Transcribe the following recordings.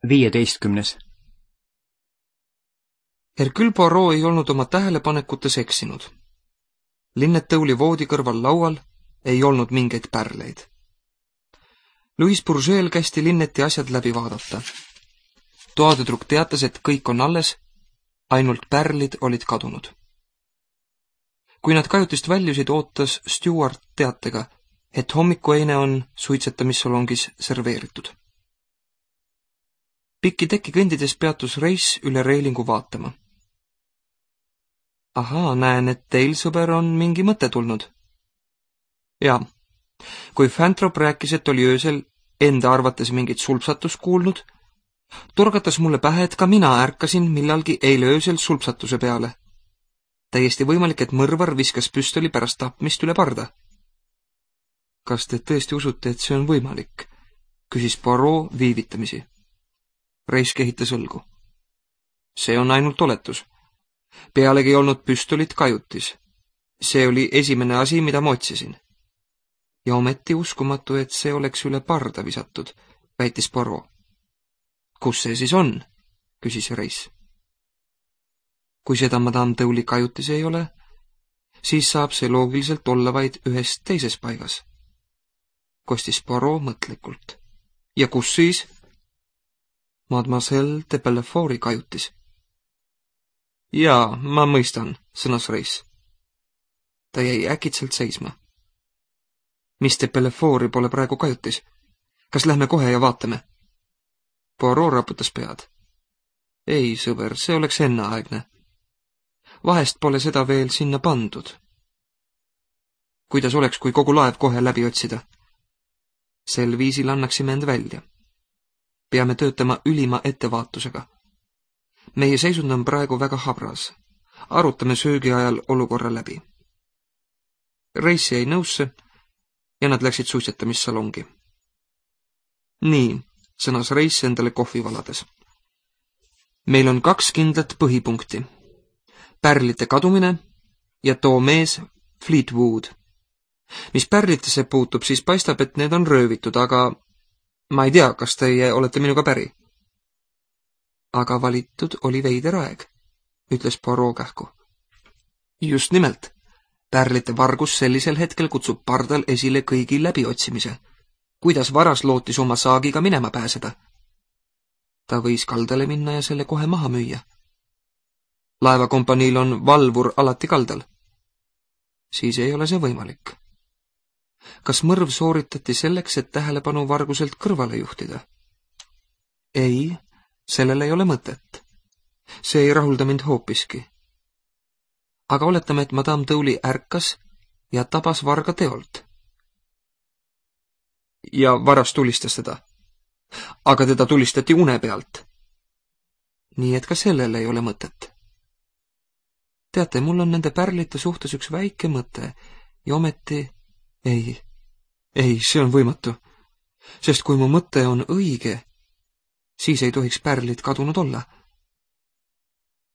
15. Hercule Poirot ei olnud oma tähelepanekutes eksinud. Linnetõuli voodi kõrval laual ei olnud mingeid pärleid. Louis Bourgeois'l kästi Linneti asjad läbi vaadata. Toadüdruk teatas, et kõik on alles, ainult pärlid olid kadunud. Kui nad kajutist väljusid, ootas Stewart teatega, et hommikueine on suitsetamissalongis serveeritud. Pikki teki kõndides peatus Reis üle reilingu vaatama. Ahaa, näen, et teil, sõber, on mingi mõte tulnud. Jaa, kui Fantrop rääkis, et oli öösel enda arvates mingit sulpsatust kuulnud, turgatas mulle pähe, et ka mina ärkasin millalgi eile öösel sulpsatuse peale. Täiesti võimalik, et mõrvar viskas püstoli pärast tapmist üle parda. Kas te tõesti usute, et see on võimalik? Küsis Poirot viivitamisi. Reis kehitas õlgu. See on ainult oletus. Pealegi ei olnud püstolit kajutis. See oli esimene asi, mida ma otsisin. Ja ometi uskumatu, et see oleks üle parda visatud, väitis Poirot. Kus see siis on? Küsis Reis. Kui seda madame Tõuli kajutis ei ole, siis saab see loogiliselt olla vaid ühes teises paigas. Kostis Poirot mõtlikult. Ja kus siis? Mademoiselle de Bellefort'i kajutis. Jaa, ma mõistan, sõnas Reis. Ta jäi äkitselt seisma. Mis de Bellefort'i pole praegu kajutis? Kas lähme kohe ja vaatame? Poirot raputas pead. Ei, sõber, see oleks enneaegne. Vahest pole seda veel sinna pandud. Kuidas oleks, kui kogu laev kohe läbi otsida? Sel viisil annaksime end välja. Peame töötama ülima ettevaatusega. Meie seisund on praegu väga habras. Arutame söögi ajal olukorra läbi. Reis jäi nõusse ja nad läksid suitsetamissalongi. Nii, sõnas Reis endale kohvi valades. Meil on 2 kindlat põhipunkti. Pärlite kadumine ja too mees Fleetwood. Mis pärlitesse puutub, siis paistab, et need on röövitud, aga ma ei tea, kas teie olete minuga päri. Aga valitud oli veider aeg, ütles Poirot kähku. Just nimelt. Pärlite vargus sellisel hetkel kutsub pardal esile kõigi läbiotsimise. Kuidas varas lootis oma saagiga minema pääseda? Ta võis kaldale minna ja selle kohe maha müüa. Laevakompaniil on valvur alati kaldal. Siis ei ole see võimalik. Kas mõrv sooritati selleks, et tähelepanu varguselt kõrvale juhtida? Ei, sellel ei ole mõtet. See ei rahulda mind hoopiski. Aga oletame, et madame Tõuli ärkas ja tabas varga teolt. Ja varas tulistas teda. Aga teda tulistati une pealt. Nii et ka sellel ei ole mõtet. Teate, mul on nende pärlite suhtes üks väike mõte ja ometi ei, see on võimatu. Sest kui mu mõte on õige, siis ei tohiks pärlid kadunud olla.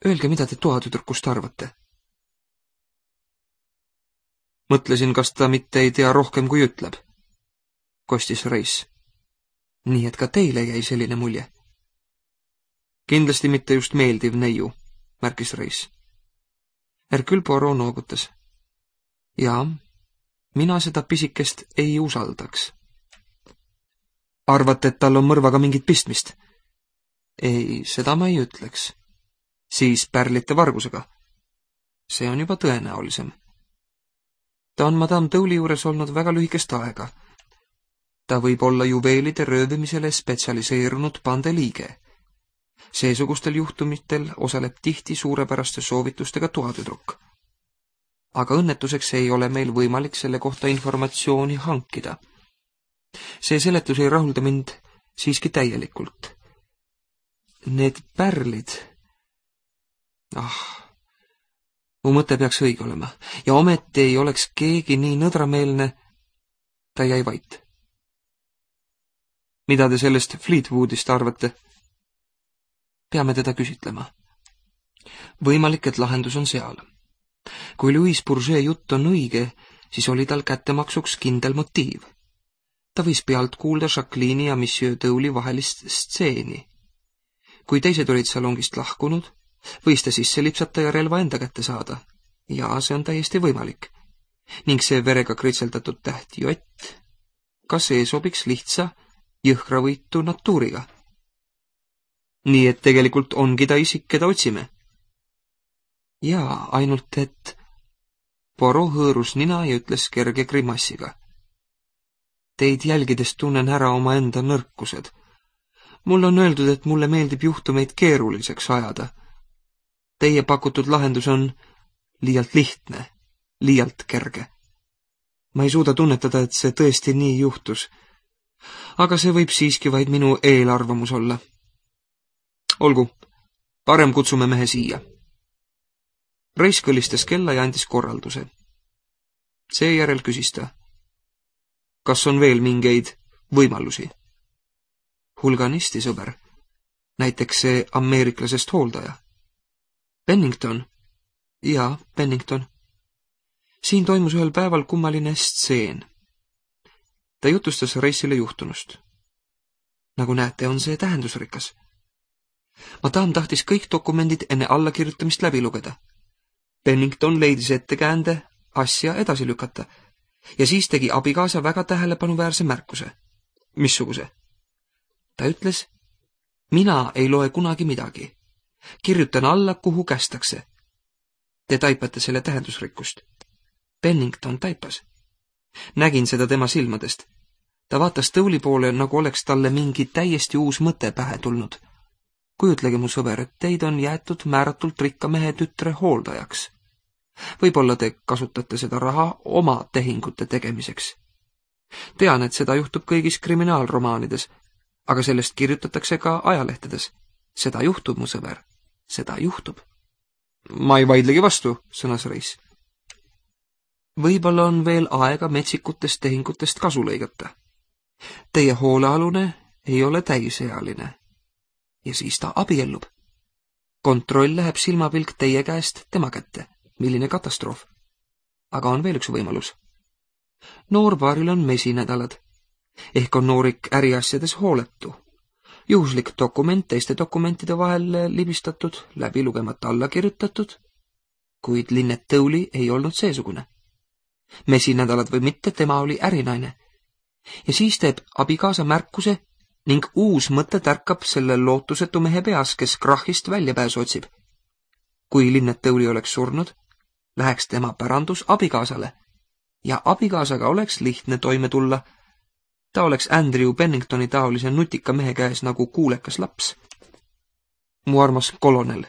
Öelge, mida te toatüdrukust arvate? Mõtlesin, kas ta mitte ei tea rohkem, kui ütleb. Kostis Reis. Nii et ka teile jäi selline mulje. Kindlasti mitte just meeldiv neiu, märkis Reis. Hercule Poirot noogutas. Jaa, mina seda pisikest ei usaldaks. Arvate, et tal on mõrvaga mingit pistmist? Ei, seda ma ei ütleks. Siis pärlite vargusega. See on juba tõenäolisem. Ta on madame Tõuli juures olnud väga lühikest aega. Ta võib olla juveelide röövimisele spetsialiseerunud pandeliige. Seesugustel juhtumitel osaleb tihti suurepäraste soovitustega toatüdruk. Aga õnnetuseks ei ole meil võimalik selle kohta informatsiooni hankida. See seletus ei rahulda mind siiski täielikult. Need pärlid... mu mõte peaks õige olema. Ja ometi ei oleks keegi nii nõdrameelne. Ta jäi vait. Mida te sellest Fleetwoodist arvate? Peame teda küsitlema. Võimalik, et lahendus on seal. Kui Louis Bourgeois jutt on õige, siis oli tal kättemaksuks kindel motiiv. Ta võis pealt kuulda Jacqueline'i ja Monsieur Tõuli vahelist stseeni. Kui teised olid salongist lahkunud, võis ta sisse lipsata ja relva enda kätte saada. Ja see on täiesti võimalik. Ning see verega kritseldatud täht J, ka see sobiks lihtsa, jõhkravõitu natuuriga. Nii et tegelikult ongi ta isik, keda otsime. Jaa, ainult et Poirot hõõrus nina ja ütles kerge grimassiga. Teid jälgides tunnen ära omaenda nõrkused. Mul on öeldud, et mulle meeldib juhtumeid keeruliseks ajada. Teie pakutud lahendus on liialt lihtne, liialt kerge. Ma ei suuda tunnetada, et see tõesti nii juhtus. Aga see võib siiski vaid minu eelarvamus olla. Olgu, parem kutsume mehe siia. Reis kõlistas kella ja andis korralduse. Seejärel küsis ta. Kas on veel mingeid võimalusi? Hulganisti, sõber. Näiteks see ameeriklasest hooldaja. Pennington? Jaa, Pennington. Siin toimus ühel päeval kummaline stseen. Ta jutustas Reisile juhtunust. Nagu näete, on see tähendusrikas. Madame tahtis kõik dokumendid enne allakirjutamist läbi lugeda. Pennington leidis ettekäände asja edasi lükata ja siis tegi abikaasa väga tähelepanuväärse märkuse. Missuguse? Ta ütles, mina ei loe kunagi midagi. Kirjutan alla, kuhu kästakse. Te taipate selle tähendusrikkust. Pennington taipas. Nägin seda tema silmadest. Ta vaatas Tõuli poole, nagu oleks talle mingi täiesti uus mõte pähe tulnud. Kujutlege, mu sõber, et teid on jäetud määratult rikka mehe tütre hooldajaks. Võib-olla te kasutate seda raha oma tehingute tegemiseks. Tean, et seda juhtub kõigis kriminaalromaanides, aga sellest kirjutatakse ka ajalehtedes. Seda juhtub, mu sõber. Seda juhtub. Ma ei vaidlegi vastu, sõnas Reis. Võib-olla on veel aega metsikutest tehingutest kasu lõigata. Teie hoolealune ei ole täisealine. Ja siis ta abiellub. Kontroll läheb silmapilk teie käest tema kätte. Milline katastroof. Aga on veel üks võimalus. Noorpaaril on mesinädalad. Ehk on noorik äriasjades hooletu. Juhuslik dokument teiste dokumentide vahel libistatud, läbi lugemata alla kirjutatud, kuid Linnet Tõuli ei olnud seesugune. Mesinädalad või mitte, tema oli ärinaine. Ja siis teeb abikaasa märkuse ning uus mõte tärkab selle lootusetu mehe peas, kes krahhist väljapääsu otsib. Kui Linnet Tõuli oleks surnud, läheks tema pärandus abikaasale ja abikaasaga oleks lihtne toime tulla. Ta oleks Andrew Penningtoni taolise nutika mehe käes nagu kuulekas laps. Mu armas kolonel,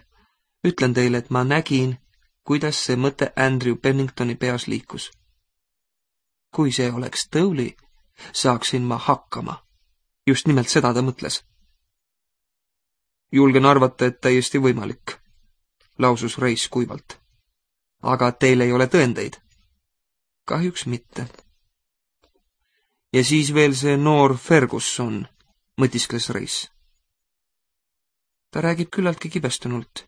ütlen teile, et ma nägin, kuidas see mõte Andrew Penningtoni peas liikus. Kui see oleks Tõuli, saaksin ma hakkama. Just nimelt seda ta mõtles. Julgen arvata, et täiesti võimalik, lausus Reis kuivalt. Aga teil ei ole tõendeid? Kahjuks mitte. Ja siis veel see noor Ferguson, mõtiskles Reis. Ta räägib küllaltki kibestunult.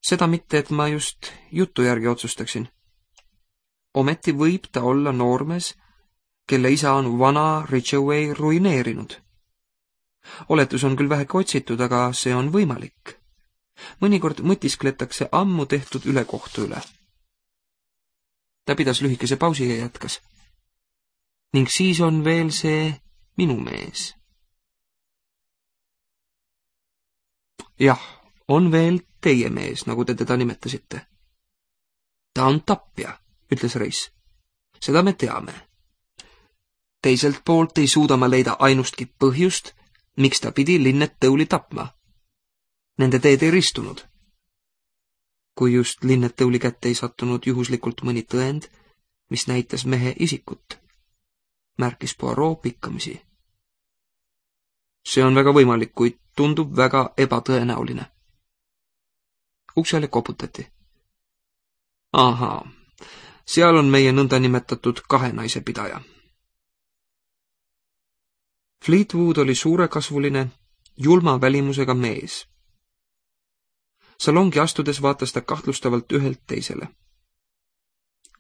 Seda mitte, et ma just jutu järgi otsustaksin. Ometi võib ta olla noormees, kelle isa on vana Ridgeway ruineerinud. Oletus on küll väheke otsitud, aga see on võimalik. Mõnikord mõtiskletakse ammu tehtud ülekohtu üle. Ta pidas lühikese pausi ja jätkas. Ning siis on veel see minu mees. Jah, on veel teie mees, nagu te teda nimetasite. Ta on tapja, ütles Reis. Seda me teame. Teiselt poolt ei suuda ma leida ainustki põhjust, miks ta pidi Linnet Tõuli tapma. Nende teed ei ristunud. Kui just Linnet Tõuli kätte ei sattunud juhuslikult mõni tõend, mis näitas mehe isikut, märkis Poirot pikkamisi. See on väga võimalik, kuid tundub väga ebatõenäoline. Uksele koputati. Ahaa, seal on meie nõndanimetatud kahe naise pidaja. Fleetwood oli suurekasvuline, julma välimusega mees. Salongi astudes vaatas ta kahtlustavalt ühelt teisele.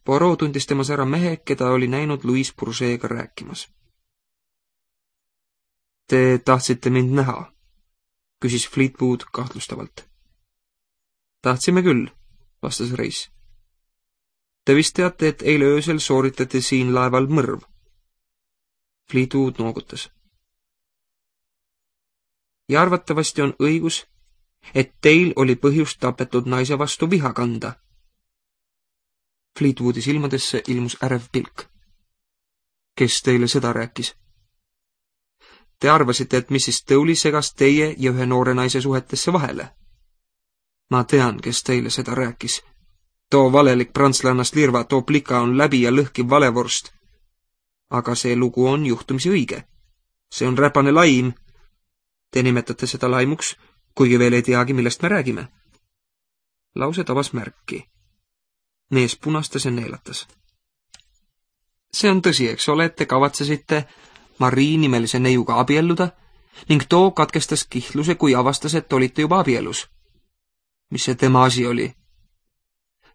Poirot tundis temas ära mehe, keda oli näinud Louis Bourget'ga rääkimas. Te tahtsite mind näha? küsis Fleetwood kahtlustavalt. Tahtsime küll, vastas Reis. Te vist teate, et eile öösel sooritati siin laeval mõrv. Fleetwood noogutas. Ja arvatavasti on õigus, et teil oli põhjust tapetud naise vastu viha kanda. Fleetwoodi silmadesse ilmus ärev pilk. Kes teile seda rääkis? Te arvasite, et Mrs. Dowley segas teie ja ühe noore naise suhetesse vahele. Ma tean, kes teile seda rääkis. Too valelik prantslannast lirva, too plika on läbi ja lõhkiv valevorst. Aga see lugu on juhtumisi õige. See on räpane laim. Te nimetate seda laimuks, kuigi veel ei teagi, millest me räägime. Lause tabas märki. Mees punastas ja neelatas. See on tõsi, eks ole, et te kavatsesite Marie nimelise neiuga abielluda ning too katkestas kihluse, kui avastas, et olite juba abielus. Mis see tema asi oli?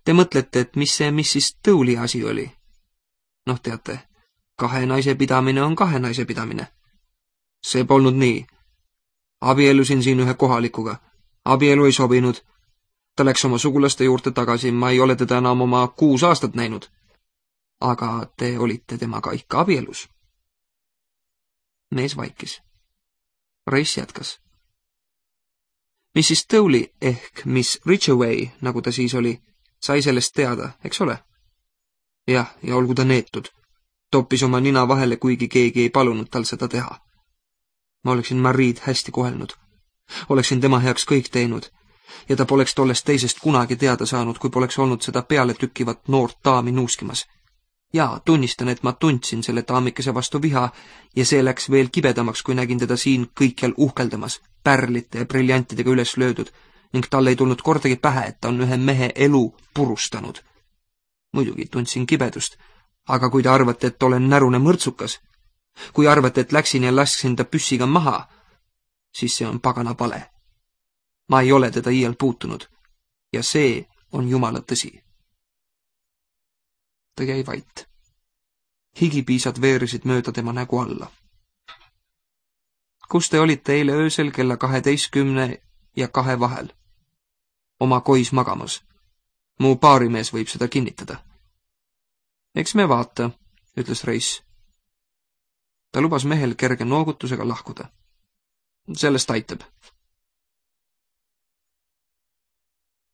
Te mõtlete, et mis see Mrs. Dowley asi oli? Noh, teate, kahe naise pidamine on kahe naise pidamine. See polnud nii. Abiellusin siin ühe kohalikuga. Abielu ei sobinud. Ta läks oma sugulaste juurde tagasi, ma ei ole teda enam oma 6 aastat näinud. Aga te olite temaga ikka abielus. Mees vaikis. Reis jätkas. Mrs. Dowley ehk Miss Ridgeway, nagu ta siis oli, sai sellest teada, eks ole? Jah, ja olgu ta neetud. Toppis oma nina vahele, kuigi keegi ei palunud tal seda teha. Ma oleksin Maried hästi kohelnud. Oleksin tema heaks kõik teinud. Ja ta poleks tollest teisest kunagi teada saanud, kui poleks olnud seda peale tükkivat noort daami nuuskimas. Ja tunnistan, et ma tundsin selle daamikese vastu viha ja see läks veel kibedamaks, kui nägin teda siin kõikjal uhkeldamas, pärlite ja briljantidega üles löödud ning tal ei tulnud kordagi pähe, et ta on ühe mehe elu purustanud. Muidugi tundsin kibedust, aga kui te arvate, et olen närune mõrtsukas, kui arvate, et läksin ja lasksin ta püssiga maha, siis see on pagana vale. Ma ei ole teda iial puutunud ja see on jumala tõsi. Ta jäi vait. Higipiisad veerisid mööda tema nägu alla. Kus te olite eile öösel kella 12 ja 2 vahel? Oma kois magamas. Mu baarimees võib seda kinnitada. Eks me vaata, ütles Reis. Ta lubas mehel kerge noogutusega lahkuda. Sellest aitab.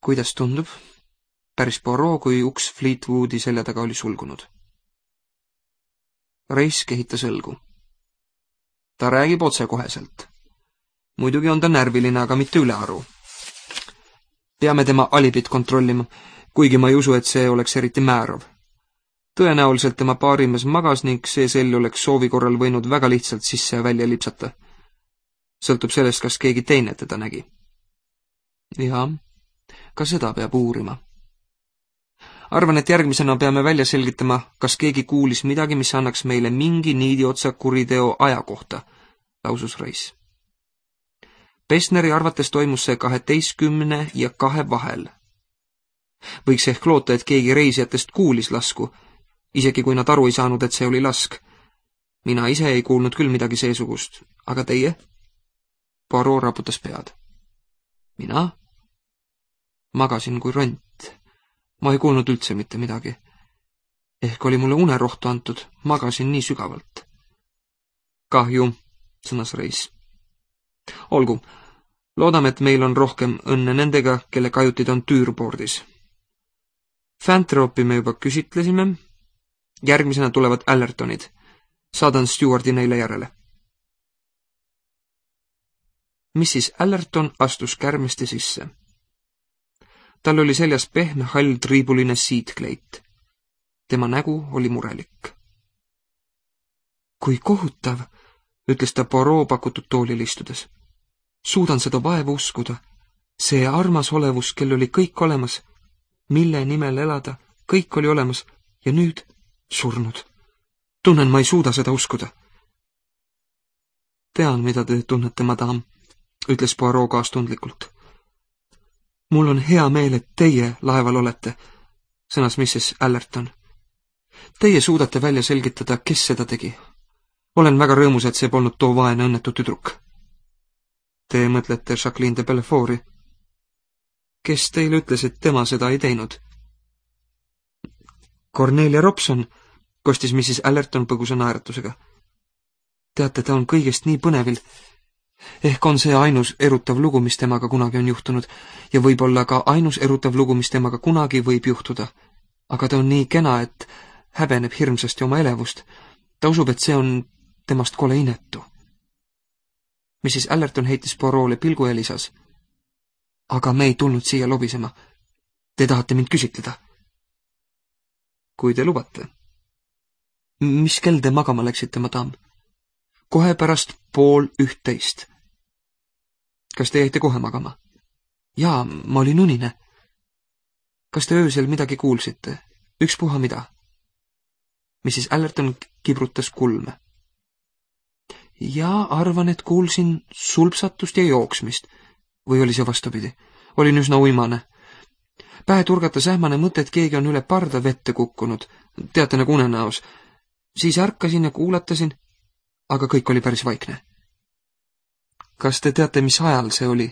Kuidas tundub? Päris Poirot, kui uks Fleetwoodi selja taga oli sulgunud. Reis kehitas õlgu. Ta räägib otsekoheselt. Muidugi on ta närviline, aga mitte ülearu. Peame tema alibit kontrollima, kuigi ma ei usu, et see oleks eriti määrav. Tõenäoliselt tema baarimees magas ning see sell oleks soovi korral võinud väga lihtsalt sisse ja välja lipsata. Sõltub sellest, kas keegi teine teda nägi. Ja, ka seda peab uurima. Arvan, et järgmisena peame välja selgitama, kas keegi kuulis midagi, mis annaks meile mingi niidiotsa kuriteo aja kohta, lausus Reis. Pessneri arvates toimus see 12 ja 2 vahel. Võiks ehk loota, et keegi reisijatest kuulis lasku, isegi kui nad aru ei saanud, et see oli lask. Mina ise ei kuulnud küll midagi seesugust, aga teie? Poirot raputas pead. Mina? Magasin kui ront. Ma ei kuulnud üldse mitte midagi. Ehk oli mulle unerohtu antud, magasin nii sügavalt. Kahju, sõnas Reis. Olgu, loodame, et meil on rohkem õnne nendega, kelle kajutid on Tüürpordis. Fantropi me juba küsitlesime. Järgmisena tulevad Allertonid. Saadan Stewardi neile järele. Mrs. Allerton astus kärmesti sisse. Tal oli seljas pehme hall triibuline siitkleit. Tema nägu oli murelik. Kui kohutav, ütles ta Poirot pakutud toolil istudes. Suudan seda vaevu uskuda. See armas olevus, kel oli kõik olemas, mille nimel elada, kõik oli olemas ja nüüd surnud. Tunnen, ma ei suuda seda uskuda. Tean, mida te tunnete, madame, ütles Poirot kaastundlikult. Mul on hea meel, et teie laeval olete, sõnas Mrs. Allerton. Teie suudate välja selgitada, kes seda tegi. Olen väga rõõmus, et see polnud too vaene õnnetu tüdruk. Te mõtlete Jacqueline de Belleforti? Kes teile ütles, et tema seda ei teinud? Cornelia Robson, kostis Mrs. Allerton põgusa naeratusega. Teate, ta on kõigest nii põnevil. Ehk on see ainus erutav lugu, mis temaga kunagi on juhtunud ja võib-olla ka ainus erutav lugu, mis temaga kunagi võib juhtuda. Aga ta on nii kena, et häbeneb hirmsasti oma elevust. Ta usub, et see on temast kole inetu. Mrs. Allerton heitis Poirot'le pilgu ja lisas. Aga me ei tulnud siia lobisema. Te tahate mind küsitleda? Kui te lubate. Mis kell te magama läksite, madam? Kohe pärast 12:30. Kas te jäite kohe magama? Jaa, ma olin unine. Kas te öösel midagi kuulsite? Ükspuha mida? Mrs. Allerton kibrutas kulme. Ja arvan, et kuulsin sulpsatust ja jooksmist. Või oli see vastupidi? Olin üsna uimane. Pähe turgatas ähmane mõte, et keegi on üle parda vette kukkunud. Teate, nagu unenäos. Siis ärkasin ja kuulatasin, aga kõik oli päris vaikne. Kas te teate, mis ajal see oli?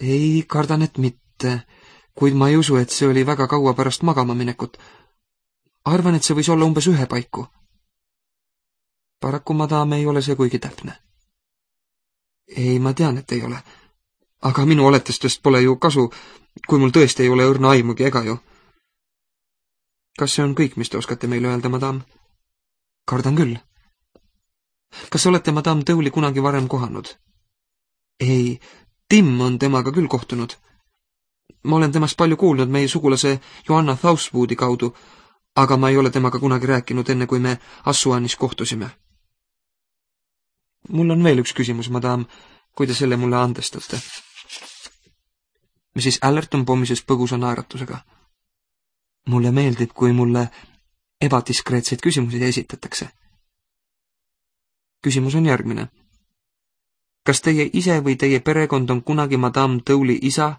Ei, kardan, et mitte, kuid ma ei usu, et see oli väga kaua pärast magama minekut. Arvan, et see võis olla umbes 1 paiku. Paraku, madam, ei ole see kuigi täpne. Ei, ma tean, et ei ole. Aga minu oletustest pole ju kasu, kui mul tõesti ei ole õrna aimugi ega ju. Kas see on kõik, mis te oskate meile öelda, madam? Kardan küll. Kas olete madam Dowley kunagi varem kohanud? Ei, Tim on temaga küll kohtunud. Ma olen temast palju kuulnud meie sugulase Joanna Southwoodi kaudu, aga ma ei ole temaga kunagi rääkinud enne, kui me Assuanis kohtusime. Mul on veel üks küsimus, madam, kui te selle mulle andestate. Mrs. Allerton pommises põgusa naeratusega. Mulle meeldib, kui mulle ebadiskreetseid küsimusi esitatakse. Küsimus on järgmine. Kas teie ise või teie perekond on kunagi madam Dowley isa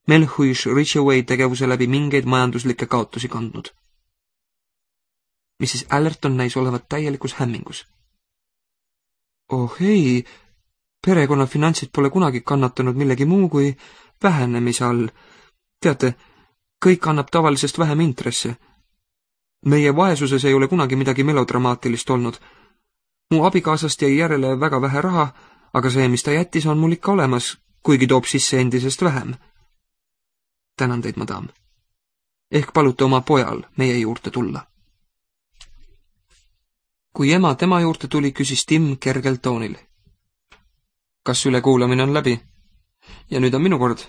Melhuish Ridgeway tegevuse läbi mingeid majanduslikke kaotusi kandnud? Mrs. Allerton näis olevat täielikus hämmingus. Oh ei, perekonna finantsid pole kunagi kannatanud millegi muu kui vähenemise all. Teate, kõik annab tavalisest vähem intresse. Meie vaesuses ei ole kunagi midagi melodramaatilist olnud. Mu abikaasast jäi järele väga vähe raha, aga see, mis ta jättis, on mul ikka olemas, kuigi toob sisse endisest vähem. Tänan teid, madam. Ehk palute oma pojal meie juurde tulla. Kui ema tema juurde tuli, küsis Tim kergel toonil. Kas ülekuulamine on läbi? Ja nüüd on minu kord.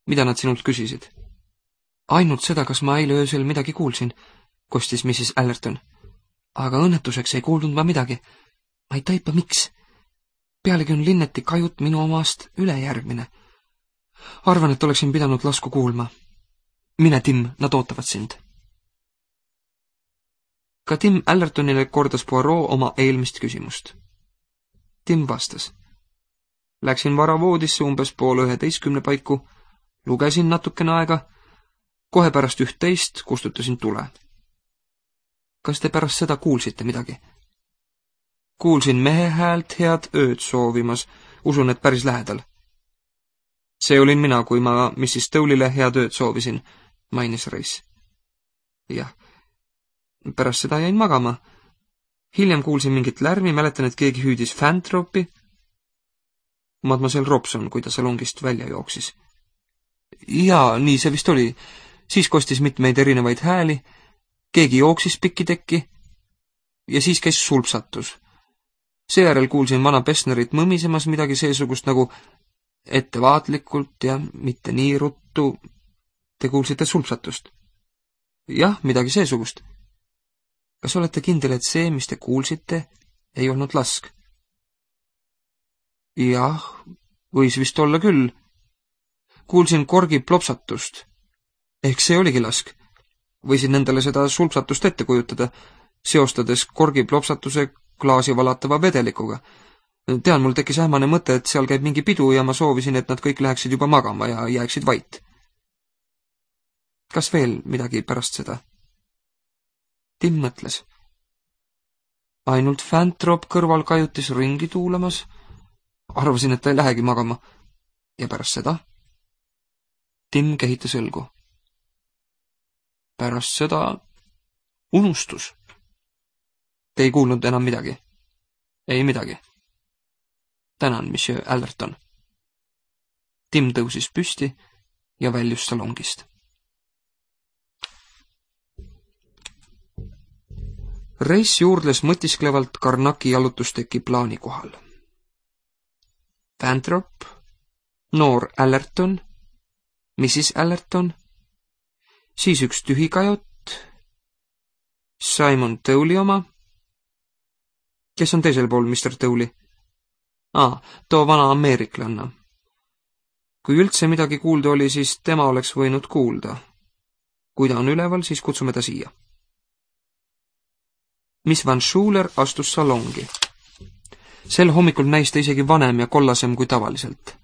Mida nad sinult küsisid? Ainult seda, kas ma eile öösel midagi kuulsin, kostis Mrs. Allerton. Aga õnnetuseks ei kuulnud ma midagi. Ma ei taipa miks. Pealegi on Linneti kajut minu omast ülejärgmine. Arvan, et oleksin pidanud lasku kuulma. Mine, Tim, nad ootavad sind. Ka Tim Allertonile kordas Poirot oma eelmist küsimust. Tim vastas. Läksin vara voodisse umbes 10:30 paiku, lugesin natukene aega, kohe pärast 11 kustutasin tule. Kas te pärast seda kuulsite midagi? Kuulsin mehe häält head ööd soovimas, usun, et päris lähedal. See olin mina, kui ma Mrs. Dowley'le head ööd soovisin, mainis Reis. Jah. Pärast seda jäin magama. Hiljem kuulsin mingit lärmi, mäletan, et keegi hüüdis Fantropi. Mademoiselle Robson, kui ta salongist välja jooksis. Jaa, nii see vist oli. Siis kostis mitmeid erinevaid hääli, keegi jooksis pikitekki ja siis käis sulpsatus. Seejärel kuulsin vana Pessnerit mõmisemas midagi seesugust nagu ettevaatlikult ja mitte nii ruttu. Te kuulsite sulpsatust? Jah, midagi seesugust. Kas olete kindel, et see, mis te kuulsite, ei olnud lask? Jah, võis vist olla küll. Kuulsin korgi plopsatust. Ehk see oligi lask. Võisin endale seda sulpsatust ette kujutada, seostades korgi plopsatuse klaasi valatava vedelikuga. Tean, mul tekkis ähmane mõte, et seal käib mingi pidu ja ma soovisin, et nad kõik läheksid juba magama ja jääksid vait. Kas veel midagi pärast seda? Tim mõtles. Ainult Fantrop kõrval kajutis ringi tuulamas. arvasin, et ta ei lähegi magama. Ja pärast seda? Tim kehitas õlgu. Pärast seda unustus. Te ei kuulnud enam midagi? Ei midagi. Tänan, monsieur Allerton. Tim tõusis püsti ja väljus salongist. Reis juurdles mõtisklevalt Karnaki jalutusteki plaani kohal. Pantrop, noor Allerton, Mrs. Allerton, siis üks tühikajot, Simon Towley oma. Kes on teisel pool, Mr. Towley? Too vana ameeriklanna. Kui üldse midagi kuulda oli, siis tema oleks võinud kuulda. Kui ta on üleval, siis kutsume ta siia. Miss Van Schuler astus salongi. Sel hommikul näis ta isegi vanem ja kollasem kui tavaliselt.